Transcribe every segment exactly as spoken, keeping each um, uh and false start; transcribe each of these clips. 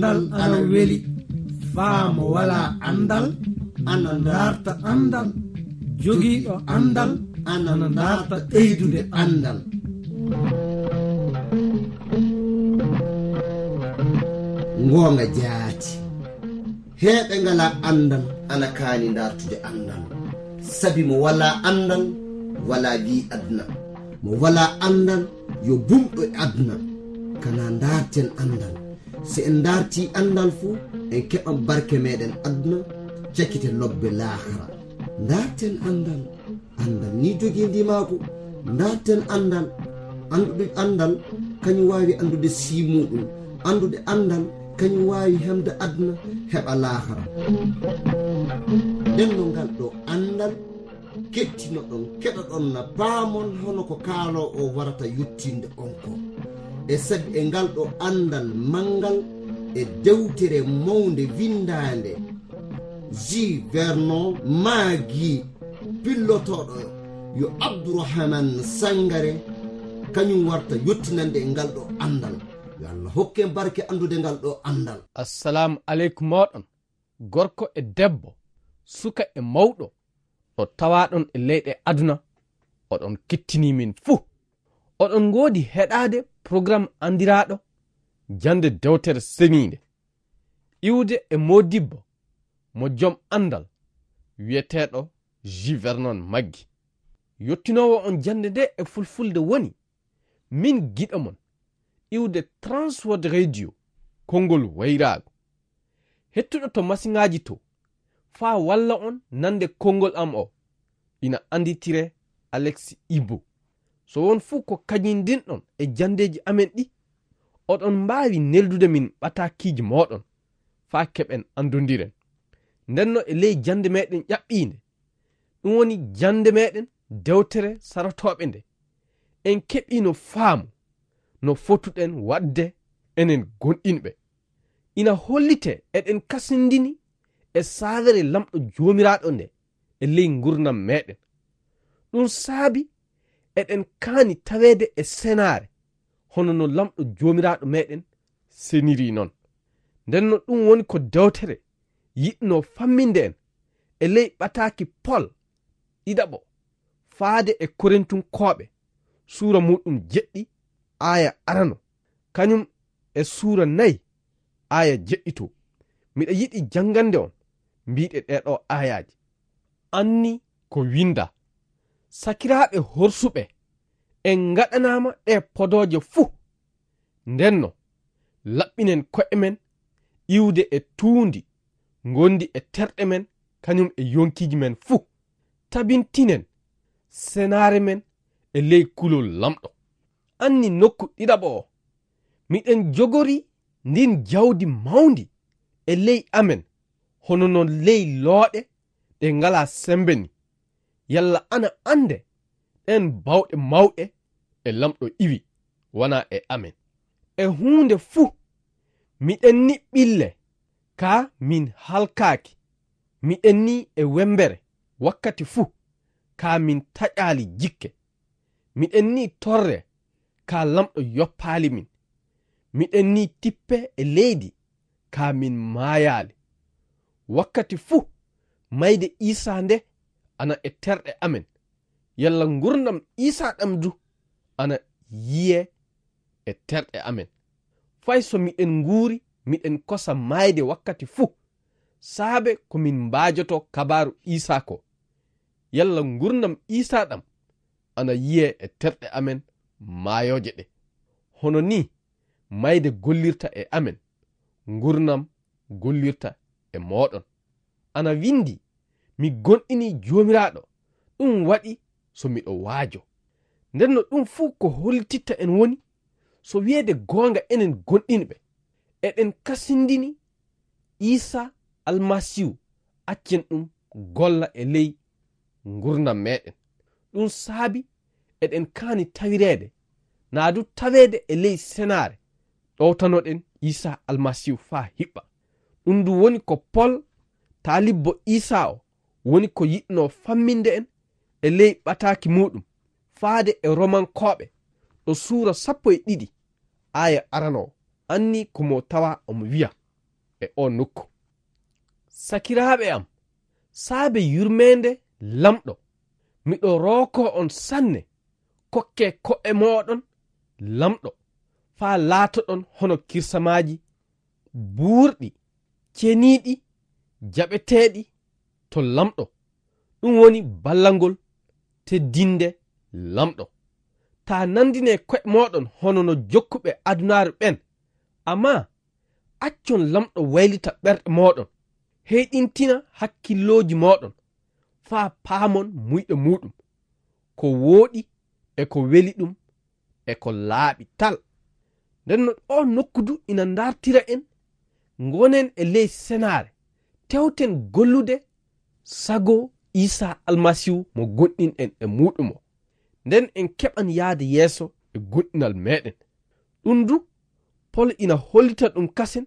Andal ana weli, faa mo walaa andal, ana ndaarta andal. Jogiiɗo andal ana ndaarta ɓeydude andal. Ngoonga jaati. Heɓe ngalaa andal ana kaani ndaartude andal. Sabi mo walaa andal, walaa wi aduna. Mo walaa andal, yo bumɗo e aduna. Kana ndaarten andal. Si en ndaartii anndal fuu, en keɓan barke meeɗen aduna, cakite lobbe laakara. Ndaarten anndal. Anndal ni jogii ndimaagu. Ndaarten anndal. Anndude anndal, kañum waawi anndude sii muuɗum. Anndude anndal, kañum waawi heɓde aduna, heɓa laakara. Nden no ngal ɗo anndal kettinoɗon, keɗoɗon na paamon hono ko kaaloowo o warata yettinde on ko. E sabi e ngal ɗo anndal manngal e dewtere mawnde winndaande J. Vernon Maggi, pillotooɗo yo Abdourahmane Sangare, kañum warta yettinande e ngal ɗo anndal. Yo Allah hokke en barke anndude ngal ɗo anndal. Assalaamu aleykum mooɗon, gorko e debbo, suka e mawɗo, ɗo tawaaɗon e leyɗe aduna, oɗon kettinii min fuu. Oɗon ngoodi heɗaade programme anndiraaɗo Jannde Dewtere Seniinde, iwde e moodibbo mo jom anndal wiyeteeɗo J. Vernon Maggi. Yottinoowo on jannde nde e fulfulde woni min giɗo mon, iwde Transworld Radio, konngol wayraagu. Hettuɗo to masiŋaaji to, faa walla on nande konngol am o, ina annditire Alex Ibu. So won fuu ko kañindinɗon e janndeeji amen ɗi, oɗon mbaawi neldude min ɓataakiiji mooɗon, faa keɓen anndondiren. Ndenno e ley jannde meeɗen ƴaɓɓiinde, ɗum woni jannde meeɗen dewtere sarotooɓe nde, en keɓiino faamu no fotuɗen waɗde enen gonɗinɓe. Ina hollitee eɗen kasindini e saawere Laamɗo Joomiraaɗo nde e ley nguurndam meeɗen. Ɗum saabi eɗen kaani taweede e senaare, hono no Laamɗo Joomiraaɗo meeɗen seniri noon. Ndenno ɗum woni ko dewtere yiɗno famminde en e ley ɓataaki Pol ɗiɗaɓo faade e Korintunkooɓe, suura muuɗum jeɗɗi, aaya arano, kañum e suura nayi, aaya jeɗɗito. Miɗa yiɗi janngande on mbiiɗe ɗee ɗoo aayaaje. Anni ko winnda, sakiraaɓe horsuɓe, en ngaɗanaama ɗee podooje fuu. Ndenno, laɓɓinen ko'e men iwde e tuundi ngondi e terɗe men, kañum e yonkiiji men fuu. Tabintinen senaare men e ley kulol Laamɗo. Anni nokku ɗiɗaɓo o, miɗen jogori ndin jawdi mawndi e ley amen, hono non ley looɗe ɗe ngalaa sembe ni. Yalla ana annde ɗeen bawɗe mawɗe e Laamɗo iwi, wanaa e amen. E huunde fuu, miɗen ni ɓille, kaa min halkaaki. Miɗen ni e wembere wakkati fuu, kaa min taƴaali jikke. Miɗen ni torre, kaa Laamɗo yoppaali min. Miɗen ni tippe e leydi, kaa min maayaali. Wakkati fuu, mayde Iisaa nde ana e terɗe amen. Yalla ngurndan Iisaa ɗam du ana yiyee e terɗe amen. Fay so miɗen nguuri, miɗen kosa maayde wakkati fuu, saabe ko min mbaajotoo kabaaru Iisaa ko. Yalla ngurndan Iisaa ɗam ana yiyee e terɗe amen maayooje ɗe. Hono nii mayde gollirta e amen, ngurndan gollirta e mooɗon. Ana winndi, "Mi gonɗinii Joomiraaɗo, ɗum waɗi so miɗo waajo." Nden no ɗum fuu ko hollititta en woni, so wiyeede goonga enen gonɗinɓe, eɗen kasindini Iisaa Almasiihu, accen ɗum golla e ley ngurndan meeɗen. Ɗum saabi eɗen kaani tawireede, naa du taweede e ley senaare, ɗowtanoɗen Iisaa Almasiihu faa hiɓɓa. Ɗum du woni ko Pol, taalibbo Iisaa o, woni ko yiɗnoo famminde en e ley ɓataaki muuɗum, faade e Romankooɓe, ɗo suura sappo e ɗiɗi, aaya arano o, anni ko mo tawa omo wiya, e oo nokku. Sakiraaɓe am, saabe yurmeende Laamɗo, miɗo rookoo on sanne, kokkee ko'e mooɗon Laamɗo, faa laatoɗon hono kirsamaaji buurɗi, ceniiɗi, jaɓeteeɗi to Laamɗo, ɗum woni ballangol teddinde Laamɗo. Taa nanndinee ko'e mooɗon hono no jokkuɓe adunaaru ɓen, ammaa accon Laamɗo waylita ɓerɗe mooɗon, heyɗintina hakkillooji mooɗon, faa paamon muyɗe muuɗum, ko wooɗi e ko weli ɗum e ko laaɓi tal. Nden no oo nokku du ina ndartira en, ngonen e ley senaare, tewten gollude sago Iisaa Almasiihu mo gonɗinɗen e muuɗum o. Nden en keɓan yaade yeeso e gonɗinal meeɗen. Ɗum du, Pol ina hollita ɗum kasen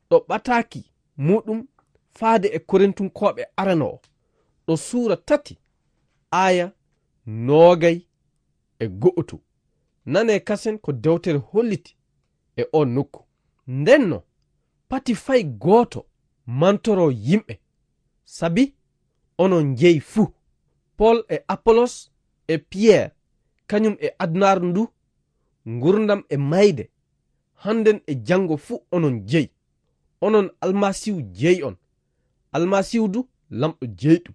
ɗo ɓataaki muuɗum faade e Korintunkooɓe arano o, ɗo suura tati, aaya noogay e go'otu. Nanee kasen ko dewtere holliti e oo nokku. Ndenno, pati fay gooto mantoroo yimɓe, sabi onon njeyi fuu. Pol e Apolos e Piyer, kañum e adunaaru ndu, ngurndan e mayde, hannden e janngo fuu onon jeyi. Onon Almasiihu jeyi on, Almasiihu du Laamɗo jeyi ɗum.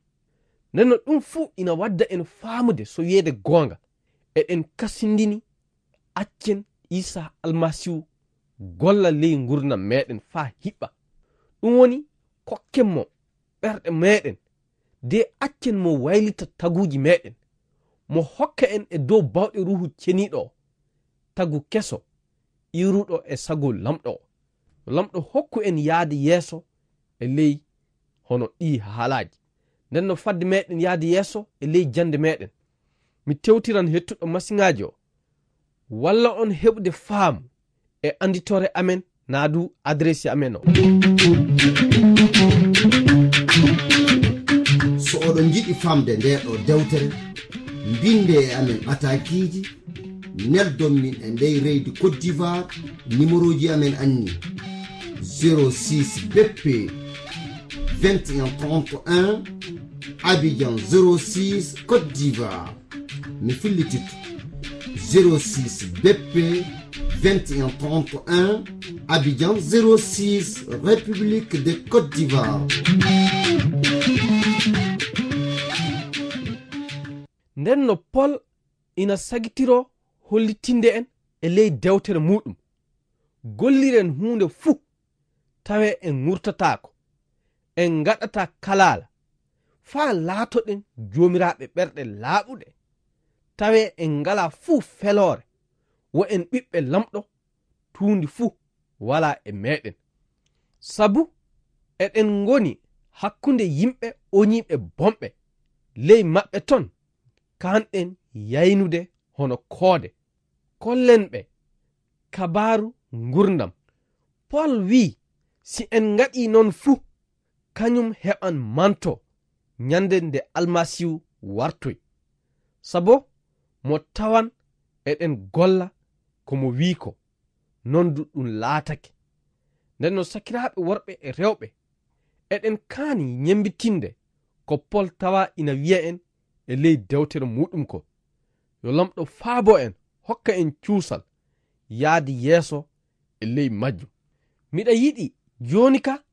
Nden no ɗum fuu ina wadda en faamude so wiyeede goonga, eɗen kasindini accen Iisaa Almasiihu golla ley ngurndan meeɗen faa hiɓɓa. Ɗum woni, kokken mo ɓerɗe meeɗen, de accen mo waylita taguuji meeɗen, mo hokka en e dow baawɗe Ruuhu Ceniiɗo o, tagu keso, iwruɗo e sago Laamɗo o. Yo Laamɗo hokku en yaade yeeso e ley hono ɗii haalaaji. Nden no fadde meeɗen yaade yeeso e ley jannde meeɗen, mi tewtiran hettuɗo masiŋaaji o, walla on heɓude faamu e annditoore amen, naa du adireesi amen o. So oɗon njiɗi faamde ndee ɗoo dewtere, mbinnde e amen ɓataakiiji, neldon min e ndey leydi Côte d'Ivoire, nimerooji amen anni: zéro six B P vingt et un trente et un, Abidjan zéro six, Côte d'Ivoire. Mi fillititto: zéro six B P vingt et un trente et un, Abidjan zéro six, République de Côte d'Ivoire. Nden no Pol ina sagitiroo hollitinde en e ley dewtere muuɗum, golliren huunde fuu tawee en ŋurtataako, en ngaɗataa kalaala, faa laatoɗen joomiraaɓe ɓerɗe laaɓuɗe, tawee en ngalaa fuu feloore, wo en ɓiɓɓe Laamɗo, tuundi fuu walaa e meeɗen. Sabu eɗen ngoni hakkunde yimɓe oñiiɓe bonɓe, ley maɓɓe ton kaanɗen yaynude hono koode. Kollen ɓe kabaaru ngurndan. Pol wi'i, si en ngaɗii noon fuu, kañum heɓan manto ñande nde Almasiihu wartoy. Sabo mo tawan eɗen golla ko mo wi'i ko, noon du ɗum laatake. Nden no sakiraaɓe worɓe e rewɓe, eɗen kaani ñemmbitinde ko Pol tawa ina wi'a en e ley dewtere muuɗum ko. Yo Laamɗo faabo en, hokka en cuusal yaade yeeso e ley majjum. Miɗa yiɗi jooni ka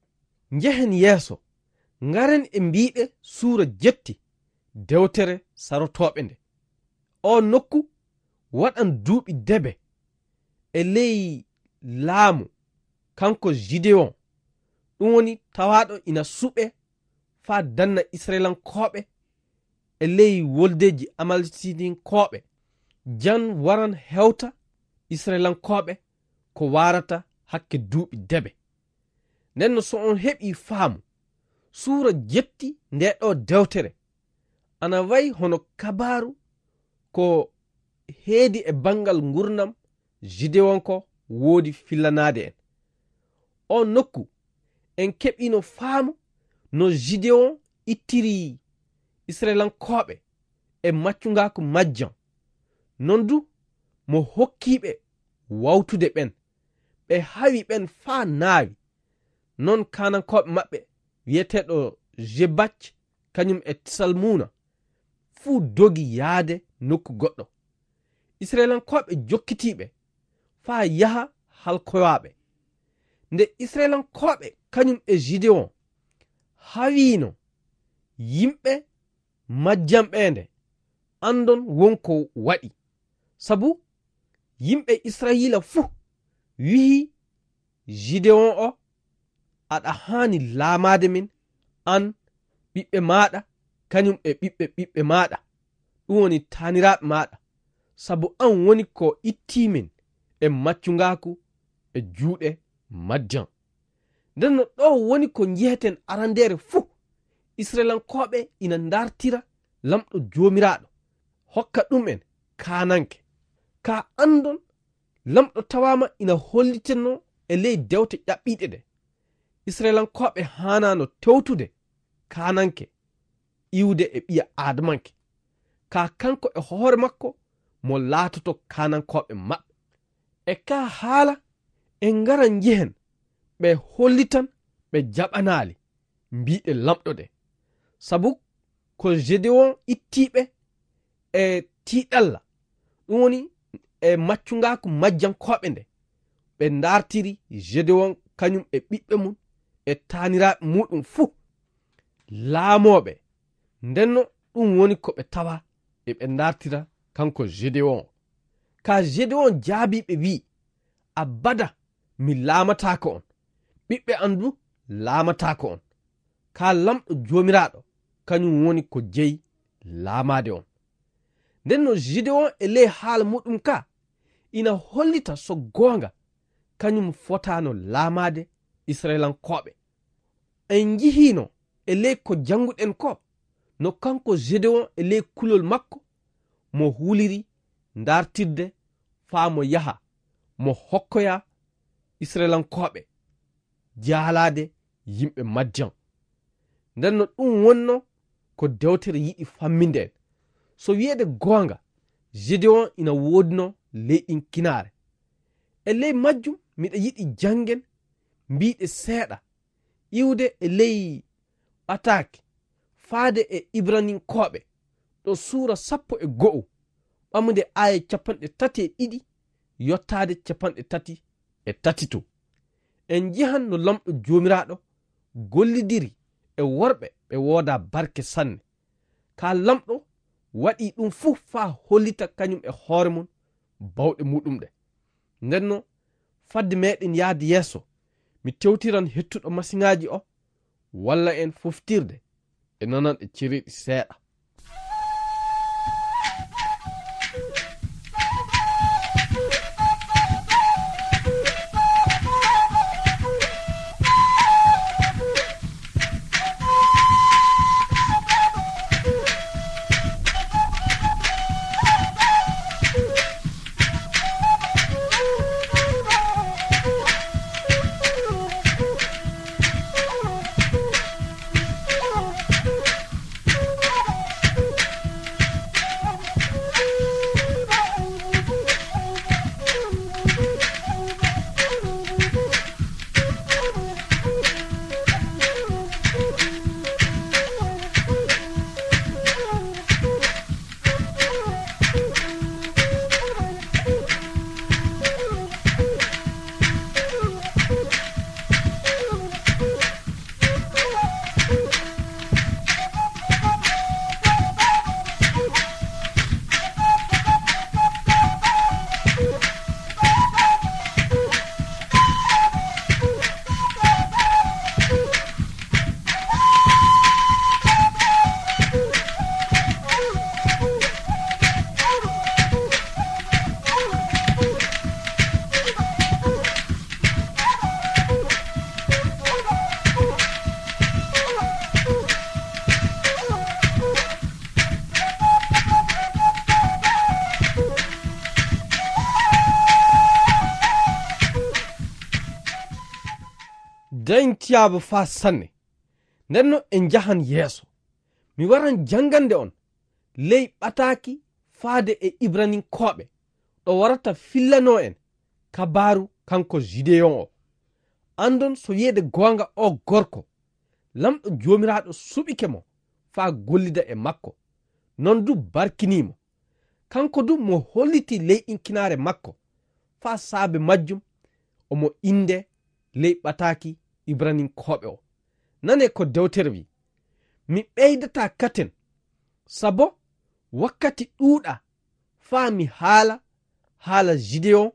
njehen yeeso, ngaren e mbiiɗe suura jetti dewtere sarotooɓe nde. Oo nokku waɗan duuɓi debe e ley laamu kanko Gideon, ɗum woni tawaaɗo ina suɓee faa danna Isra'ilankooɓe e ley woldeeji Amalekitinkooɓe. Jan waran hewta Isra'ilankooɓe ko waarata hakke duuɓi debe. Nden no so on heɓii faamu, suura jetti ndee ɗoo dewtere ana wayi hono kabaaru ko heedi e banngal ngurndan Gideon ko woodi fillanaade en. On nokku, en keɓiino faamu no Gideon ittiri Isra'ilankooɓe e maccungaaku majjan. Non du mo hokkiiɓe wawtude ɓen. Ɓe hawi ɓen faa naawi. Non Kanankooɓe maɓɓe, wi'eteeɗo Jebak, kañum e Salmuna, fuu dogi yaade nokku goɗɗo. Isra'ilankooɓe jokkitiiɓe faa yaha halkoyaaɓe. Nde Isra'ilankooɓe kañum e Gideon hawiino yimɓe Madiyan ɓeende, anndon won ko waɗi. Sabu yimɓe Isra'iila fuu wi'i Gideon o, "Aɗa haani laamaade min, an, ɓiɓɓe maaɗa, kañum e ɓiɓɓe ɓiɓɓe maaɗa, ɗum woni taaniraaɓe maaɗa, sabu an woni ko ittii min e maccungaaku e juuɗe Madiyan." Nden no ɗo woni ko njeheten arandeere fuu, Isra'ilankooɓe ina ndartira Laamɗo Joomiraaɗo, hokka ɗum'en kaananke. Kaa anndon, Laamɗo tawaama ina hollitinoo e ley dewte ƴaɓɓiiɗe ɗe, Isra'ilankooɓe haanaano tewtude kaananke iwde e ɓiya Aadamanke. Kaa kanko e hoore makko mo laatoto kaanankooɓe maɓɓe. E kaa haala, en ngara njehen, ɓe hollitan ɓe jaɓanaali mbiiɗe Laamɗo ɗe. Sabu ko Gedewoon ittii ɓe e tiiɗalla, ɗum woni e maccungaaku majjankooɓe nde, ɓe ndartiri Gedewoon kañum e ɓiɓɓe mum e taaniraaɓe muuɗum fuu laamooɓe. Ndenno ɗum woni ko ɓe tawa e ɓe ndartira kanko Gedewoon. Kaa Gedewoon jaabii ɓe wi'i, "Abada mi laamataako on, ɓiɓɓe am du laamataako on. Kaa Laamɗo Joomiraaɗo, kañum woni ko jeyi laamaade on." Ndenno Gedewoon e ley haala muuɗum ka, ina hollita so goonga kañum fotaano laamaade Isra'ilankooɓe. En njihiino e ley ko jannguɗen ko, no kanko Gedewoon e ley kulol makko mo huliri ndartirde faa mo yaha, mo hokkoya Isra'ilankooɓe jaalaade yimɓe Madiyan. Ndenno ɗum wonno ko dewtere yiɗi famminde en. So wi'eede goonga, Gedewoon ina woodino leyɗinkinaare. E ley majjum miɗa yiɗi janngen mbiiɗe seeɗa, iwde e ley ɓataake, faade e Ibraninkooɓe, ɗo suura sappo e go'o, ɓamude aaya capanɗe tati e ɗiɗi yottaade capanɗe tati e tati to. En njihan no Laamɗo Joomiraaɗo gollidiri e worɓe ɓe woodaa barke sanne. Kaa Laamɗo waɗii ɗum fuu faa hollita kañum e hoore mum bawɗe muuɗum ɗe. Ndenno, fadde meeɗen yahde yeeso, mi tewtiran hettuɗo masiŋaaji o, walla en foftirde e nananɗe cereeɗi seeɗa. Dañtiyaaba faa sanne. Ndenno en njahan yeeso. Mi waran janngande on ley ɓataaki faade e Ibraninkooɓe, ɗo warata fillanoo en kabaaru kanko Jideyon o. Anndon so wiyeede goonga o gorko, Laamɗo Joomiraaɗo suɓike mo faa gollida e makko, noon du barkinii mo. Kanko du mo holliti leyɗinkinaare makko, faa saabe majjum omo innde ley ɓataaki Ibraninkooɓe o. Nanee ko dewtere wi'i, "Mi ɓeydataa katen, sabo wakkati ɗuuɗaa faa mi haala haala Gideyon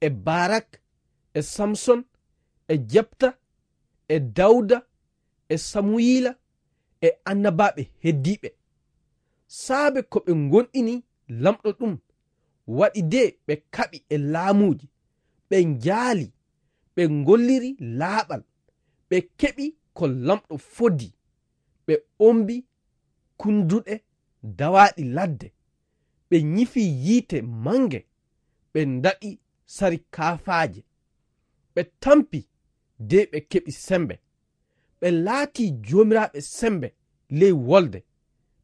e Barak e Samson e Jepta e Dawda e Samuyila e annabaaɓe heddiiɓe. Saabe ko ɓe ngonɗini Laamɗo ɗum waɗi de ɓe kaɓi e laamuuji, ɓe njaali, ɓe ngolliri laaɓal, ɓe keɓi ko Laamɗo fodii, ɓe ombi kunduɗe dawaaɗi ladde, ɓe nyifi yiite mannge, ɓe ndaɗi sari kaafaaje, ɓe tampi de ɓe keɓi semmbe. Ɓe laatii joomiraaɓe semmbe ley wolde,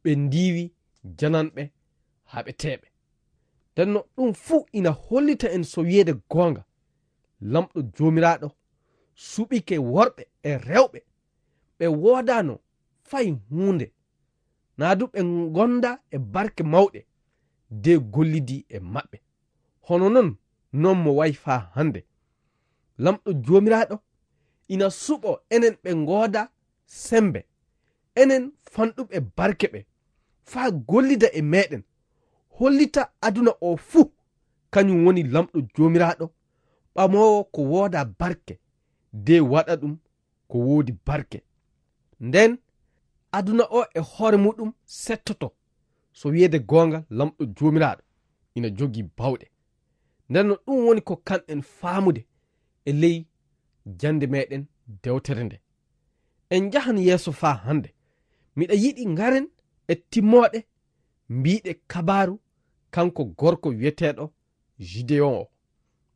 ɓe ndiiwi jananɓe haɓeteeɓe." Ndennoo ɗum fuu ina hollita en so wiyeede goonga, Laamɗo Joomiraaɗo suɓike worɓe e rewɓe ɓe woodaano fay huunde, naa du ɓe ngonda e barke mawɗe de gollidi e maɓɓe. Hono noon, noon mo wayi faa hannde. Laamɗo Joomiraaɗo ina suɓoo enen ɓe ngoodaa semmbe, enen fanɗuɓe barke ɓe, faa gollida e meeɗen, hollita aduna o fuu, kañum woni Laamɗo Joomiraaɗo, ɓamoowo ko woodaa barke, de waɗa ɗum ko woodi barke. Ndeen aduna o e hoore muɗum settoto, so wiyeede goonga Laamɗo Joomiraaɗo ina jogii baawɗe. Ndennoo ɗum woni ko kanɗen faamude e ley jannde meeɗen dewtere nde. En njahan yeeso faa hannde. Miɗa yiɗi ngaren e timmooɗe mbiiɗe kabaaru kanko gorko wiyeteeɗo Gideyon o.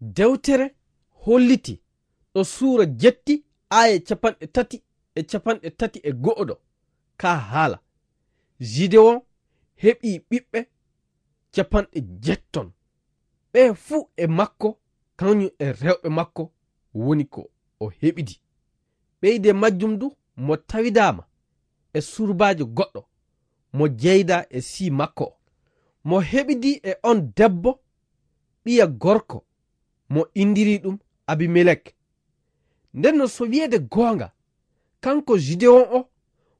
Dewtere holliti ɗo suura jetti aaya capanɗe tati e capanɗe tati e go'o ɗo, kaa haala, Gideyon heɓii ɓiɓɓe capanɗe jetton. Ɓe fuu e makko, kañum e rewɓe makko woni ko o heɓidi. Ɓeyde majjum du mo tawidaama e surbaajo goɗɗo, mo jeydaa e sii makko o. Mo heɓidi e on debbo, ɓiya gorko, mo indiri ɗum Abimelek. Ndennoo so wiyeede goonga, kanko Gideyon o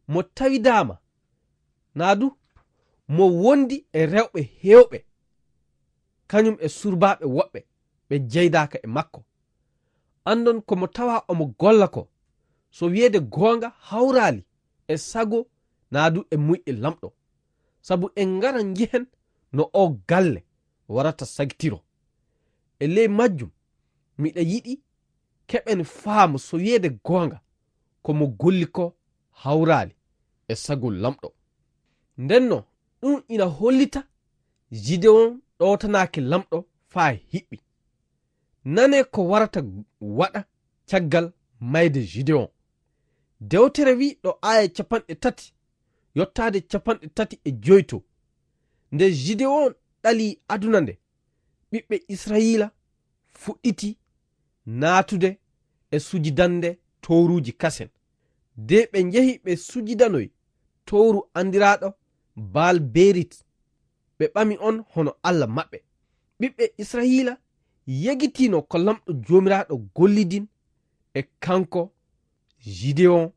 mo tawidaama, naa du mo wondi e rewɓe heewɓe, kañum e surbaaɓe woɓɓe ɓe jeydaaka e makko. Anndon ko mo tawa omo golla ko, so wiyeede goonga hawraali e sago naa du e muyɗe Laamɗo. Sabu en ngara njihen no oo galle warata sagitiro. E ley majjum, miɗa yiɗi keɓen faamu so wiyeede goonga ko mo golli ko hawraali e sago Laamɗo. Ndennoo, ɗum ina hollita Gideyon ɗowtanaaki Laamɗo faa hiɓɓi. Nanee ko warata waɗa caggal mayde Gideyon. Dewtere wi'i ɗo aaya capanɗe tati yottaade capanɗe tati e joy to, nde Gideyon ɗalii aduna nde, ɓiɓɓe Israyiila fuɗɗiti naatude e sujidande towruuji kasen. De ɓe njehi ɓe sujidanoyi towru anndiraaɗo Baal Berit, ɓe ɓami on hono Alla maɓɓe. Ɓiɓɓe Israyiila yegitiino ko Laamɗo Joomiraaɗo gollidin e kanko Gideyon,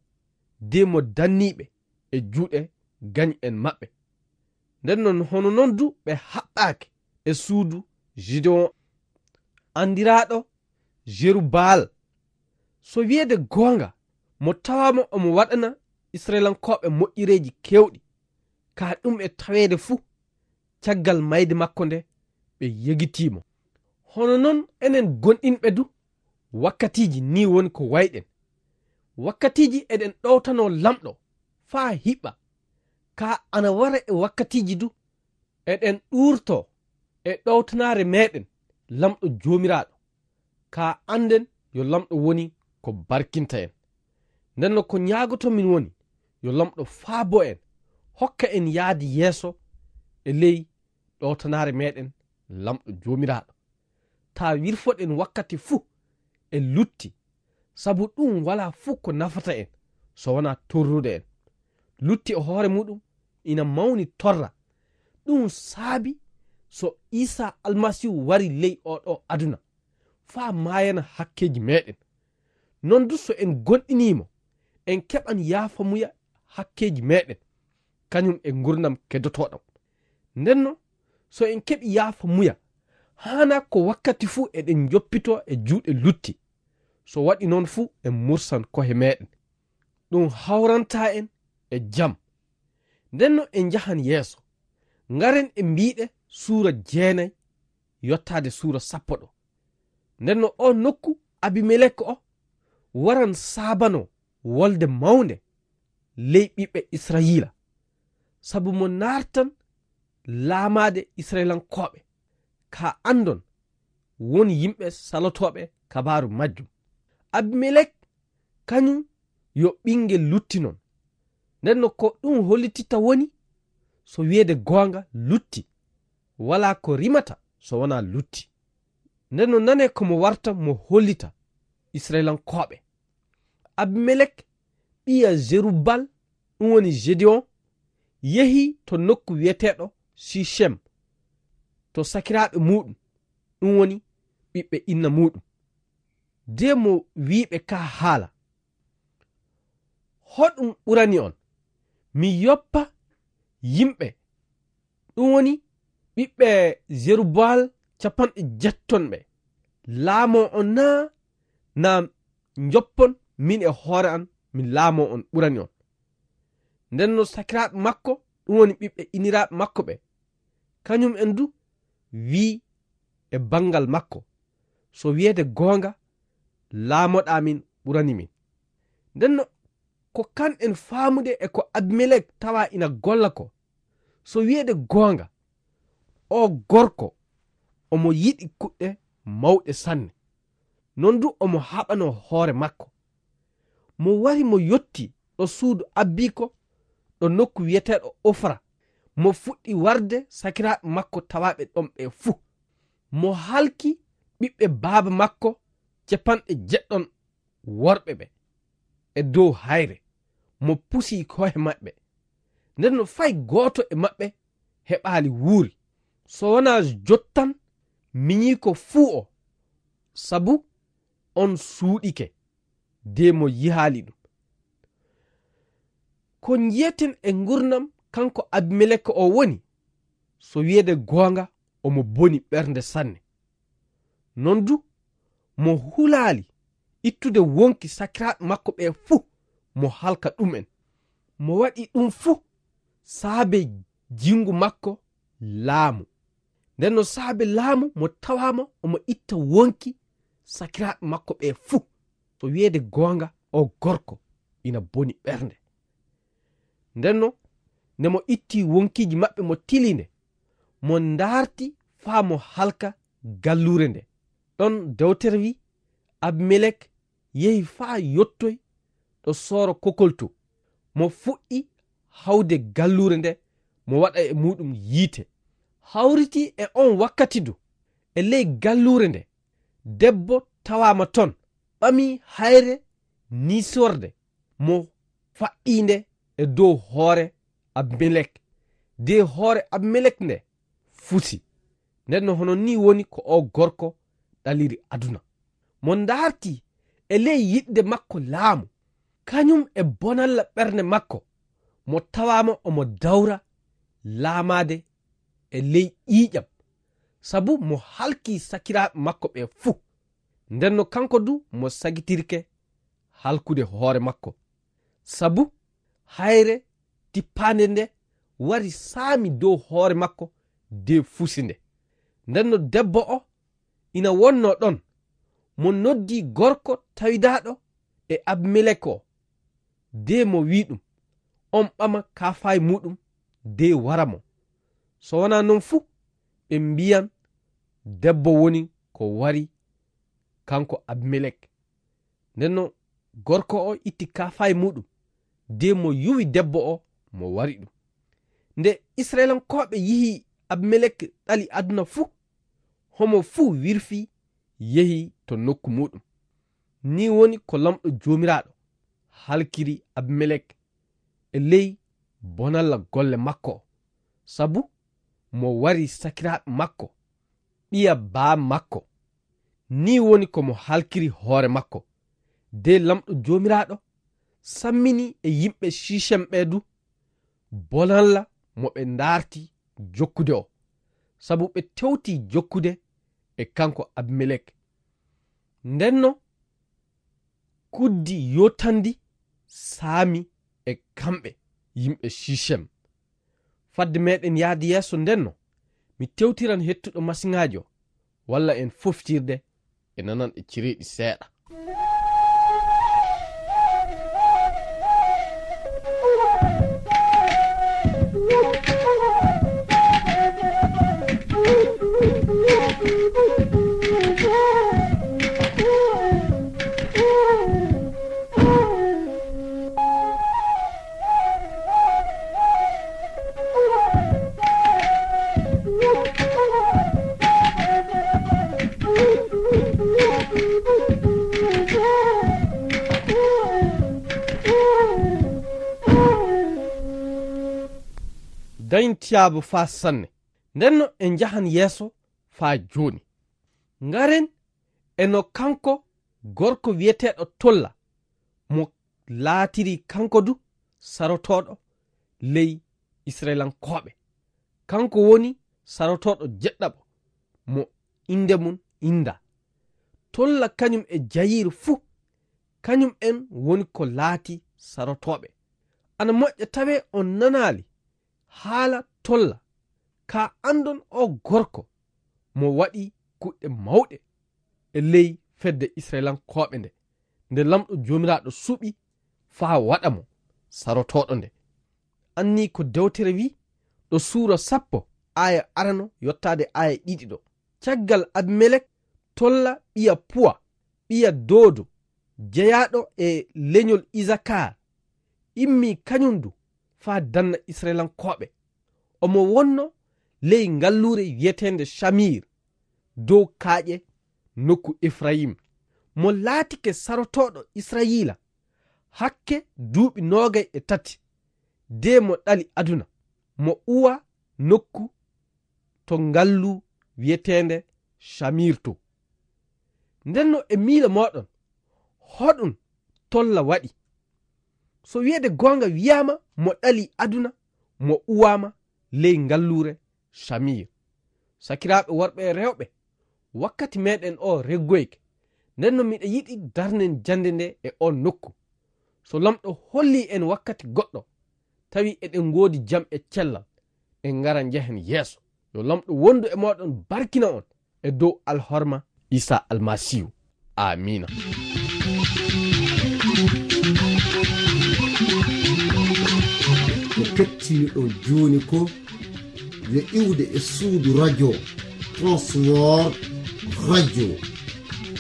de mo danniiɓe e juuɗe gañ'en maɓɓe. Nden non hono non du ɓe haɓɓaaki e suudu Gideyon, anndiraaɗo Jerubaal. So wiyeede goonga, mo tawaama omo waɗana Israyilankooɓe moƴƴereeji keewɗi, ka ɗum e taweede fuu, caggal mayde makko nde, ɓe yegitii mo. Hono non enen gonɗinɓe du, wakkatiiji nii woni ko wayɗen. Wakkatiiji eɗen ɗowtanoo Laamɗo faa hiɓɓa, ka ana wara e wakkatiiji du, eɗen ɗuurtoo e ɗowtanaare meeɗen Laamɗo Joomiraaɗo, ka annden yo Laamɗo woni ko barkinta en. Nden no ko ñaagotomin woni yo Laamɗo faabo en, hokka en yaade yeeso e ley ɗowtanaare meeɗen Laamɗo Joomiraaɗo. Taa wirfoɗen wakkati fuu e lutti, Sabu ɗum walaa fuu ko nafata en so wonaa torrude en. Lutti e hoore muɗum ina mawni torra. Ɗum saabi so Iisaa Almasiihu wari ley oo ɗoo aduna faa maayana hakkeeji meeɗen. Noon du so en goonɗinii mo, en keɓan yaafamuya hakkeeji meeɗen, kañum e nguurndam keddotooɗam. Ndennoo, so en keɓii yaafamuya, haanaa ko wakkati fuu eɗen njoppitoo e juuɗe lutti, so waɗi noon fuu en mursan ko'e meeɗen. Ɗum hawrantaa en e jam. Ndennoo en njahan yeeso. Ngaren e mbiiɗe suura jeenay yottaade suura sappo ɗo. Ndennoo oo nokku Abimelek o waran saabanoo wolde mawnde ley ɓiɓɓe Israayiila, sabu mo naartan laamaade Israayiilankooɓe, kaa anndon won yimɓe salotooɓe kabaaru majjum. Abimelek kañum yo ɓinngel lutti noon. Ndennoo ko ɗum hollititta woni, so wiyeede goonga lutti, walaa ko rimata so wonaa lutti. Ndennoo nanee ko mo warta mo hollita Israayiilankooɓe. Abimelek ɓiya Jerubbaal, ɗum woni Gedeyon, yehi to nokku wiyeteeɗo Sicem, to sakiraaɓe muuɗum, ɗum woni ɓiɓɓe inna muuɗum. De mo wi'i ɓe kaa haala, hoɗum ɓurani on? Mi yoppa yimɓe, ɗum woni ɓiɓɓe Jerubbaal capanɗe jeettoo ɓe, laamoo on naa, naa njoppon min e hoore an, min laamoo on ɓurani on? Ndennoo sakiraaɓe makko, ɗum woni ɓiɓɓe inniraaɓe makko ɓe, kañum en du wi'i e banngal makko, so wiyeede goonga, laamoɗaa min ɓurani min. Ndennoo ko kan en faamude e ko Abimelek tawa ina golla ko, so wiyeede goonga, oo gorko omo yiɗi kuɗɗe mawɗe sanne. Noon du omo haɓanoo hoore makko. Mo wari mo yotti ɗo suudu abbiiko, ɗo nokku wiyeteeɗo Ofra. Mo fuɗɗi warde sakiraaɓe makko tawaaɓe ɗon ɓe fuu. Mo halki ɓiɓɓe baaba makko capanɗe jeeɗɗon worɓe ɓe e dow hayre. Mo pusi ko'e maɓɓe. Ndennoo fay gooto e maɓɓe heɓaali wuuri, so wonaa jottan miñiiko fuu o, sabu on suuɗike, de mo yihaali ɗum. Ko njiyeten e ngurnam kanko Abimelek o woni, so wiyeede goonga, omo boni ɓernde sanne. Noon du, mo hulaali ittude wonki sakiraaɓe makko ɓe fuu, mo halka ɗum'en. Mo waɗi ɗum fuu saabe jinngu makko laamu. Ndennoo saabe laamu mo tawaama omo itta wonki sakiraaɓe makko ɓe fuu. So wiyeede goonga, o gorko ina boni ɓernde. Ndennoo, nde mo itti wonkiiji maɓɓe mo tili nde, mo ndaarti faa mo halka galluure nde. Ɗon dewtere wi'i, Abimelek yehi faa yottoy ɗo sooro kokolto. Mo fuɗɗi hawde galluure nde, mo waɗa e muuɗum yiite. Hawriti e on wakkati du, e ley galluure nde, debbo tawaama ton, ɓami hayre niisorde, mo faɗɗi nde e dow hoore Abimelek, de hoore Abimelek nde fusi. Ndennoo hono nii woni ko oo gorko ɗaliri aduna. Mo ndaarti e ley yiɗde makko laamu, kañum e bonalla ɓernde makko, mo tawaama omo dawra laamaade e ley ƴiiƴam, sabu mo halki sakiraaɓe makko ɓe fuu. Ndennoo kanko du mo sagitirke halkude hoore makko, sabu hayre tippaande nde wari saami dow hoore makko de fusi nde. Ndennoo debbo o ina wonnoo ɗon, mo noddi gorko tawidaaɗo e Abimelek o, de mo wi'i ɗum, on ɓama kaafahi muuɗum de wara mo. So wonaa noon fu, ɓe mbiyan debbo woni ko wari kanko Abimelek. Ndennoo gorko o itti kaafahi muuɗum, de mo yuwi debbo o, mo wari ɗum. Nde Israayiilankooɓe yi'i Abimelek ɗali aduna fu, homo fuu wirfii yehi to nokku muuɗum. Nii woni ko Laamɗo Joomiraaɗo halkiri Abimelek e ley bonalla golle makko, sabu mo wari sakiraaɓe makko, ɓiya baa makko. Nii woni ko mo halkiri hoore makko. De Laamɗo Joomiraaɗo sammini e yimɓe Sicem ɓee du bonalla mo ɓe ndaarti jokkude o, sabu ɓe tewti jokkude e kanko Abimelek. Ndenno kuddi yotandi saami e kamɓe yimɓe Sicem. Fadde meɗen yaade yeeso ndenno, mi tewtiran hettuɗo masiŋaajo, walla en foftirde e nananɗe cereeɗi seeɗa. Dañtiyaabo faa sanne. Ndenno en njahan yeeso faa jooni. Ngaren e no kanko gorko wi'eteeɗo Tolla, mo laatiri kanko du sarotooɗo ley Isra'ilankooɓe. Kanko woni sarotooɗo jeɗɗaɓo mo innde mum inndaa. Tolla kañum e Jayiir fuu, kañum en woni ko laati sarotooɓe. Ana moƴƴa tawee on nanaali haala Tolla, kaa anndon oo gorko mo waɗi kuɗɗe mawɗe e ley fedde Isra'ilankooɓe nde, nde Laamɗo Joomiraaɗo suɓi faa waɗa mo sarotooɗo nde. Annii ko dewtere wi'i, ɗo suura sappo, aaya arano yottaade aaya ɗiɗi ɗo. Caggal Abimelek, Tolla ɓiya Puwa, ɓiya Doodo, jeyaaɗo e leñol Isakar, immii kañum du faa danna Isra'ilankooɓe. Omo wonno ley ngalluure wi'eteende Camir, dow kaaƴe nokku Efrayim. Mo laatike sarotooɗo Israyiila hakke duuɓi noogay e tati, de mo ɗali aduna, mo uwa nokku to ngallu wi'eteende Camir to. Ndenno e miila mooɗon, hoɗum Tolla waɗi? So wi'eede goonga wi'aama mo ɗali aduna, mo uwaama ley ngalluure Camir. Sakiraaɓe worɓe e rewɓe, wakkati meɗen o reggoyke. Ndenno miɗa yiɗi darnen jannde nde e on nokku. So Laamɗo holli en wakkati goɗɗo, tawi eɗen ngoodi jam e cellal, en ngara njehen yeeso. Yo Laamɗo wondu e mooɗon, barkina on e dow alhorma Iisaa Almasiihu. Aamiina. Ko kettiniɗon jooni ko yo iwde e suudu radio Transworld Radio.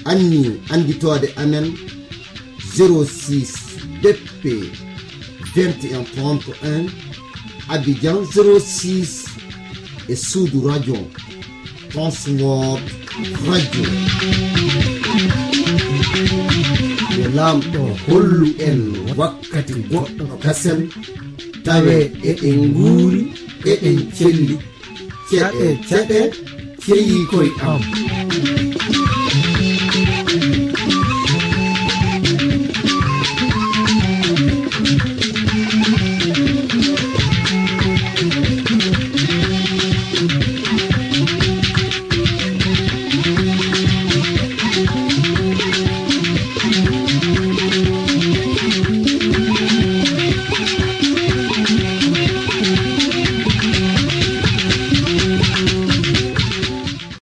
Anni annditoode amen, zéro six B P vingt et un trente et un, Abidjan zéro six, e suudu radio Transworld Radio. Yo Laamɗo hollu en wakkati goɗɗo kasen, tawe eɗen nguuri, eɗen celli. Ceɗe, ceɗe, ceyi koy am.